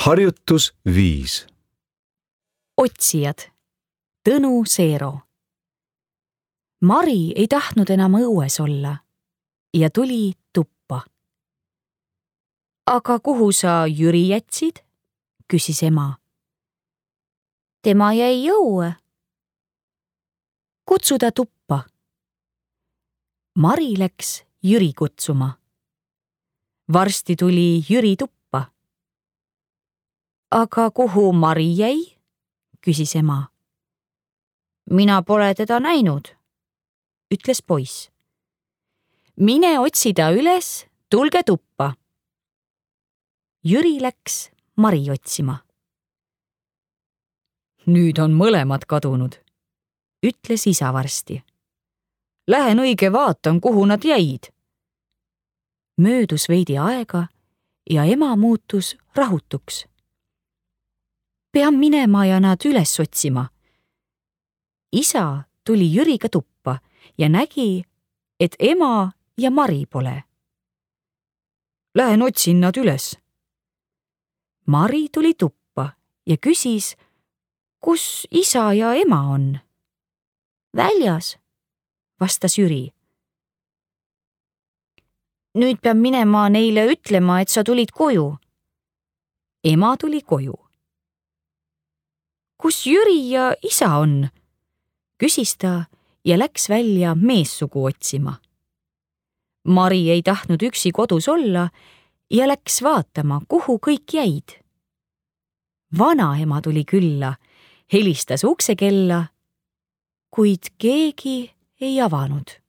Harjutus 5. Otsijad. Tõnu Seero. Mari ei tahtnud enam õues olla ja tuli tuppa. Aga kuhu sa Jüri jätsid? Küsis ema. Tema jäi õue. Kutsu ta tuppa. Mari läks Jüri kutsuma. Varsti tuli Jüri tuppa. Aga kuhu Mari jäi? Küsis ema. Mina pole teda näinud, ütles poiss. Mine otsi ta üles, tulge tuppa. Jüri läks Mari otsima. Nüüd on mõlemad kadunud, ütles isa varsti. Lähen õige vaatan, kuhu nad jäid. Möödus veidi aega ja ema muutus rahutuks. Pean minema ja nad üles otsima. Isa tuli Jüriga tuppa ja nägi, et ema ja Mari pole. Lähen otsin nad üles. Mari tuli tuppa ja küsis, kus isa ja ema on. Väljas, vastas Jüri. Nüüd pean minema neile ütlema, et sa tulid koju. Ema tuli koju. Kus Jüri ja isa on? Küsis ta ja läks välja meessugu otsima. Mari ei tahtnud üksi kodus olla ja läks vaatama, kuhu kõik jäid. Vanaema tuli külla, helistas uksekella, kuid keegi ei avanud.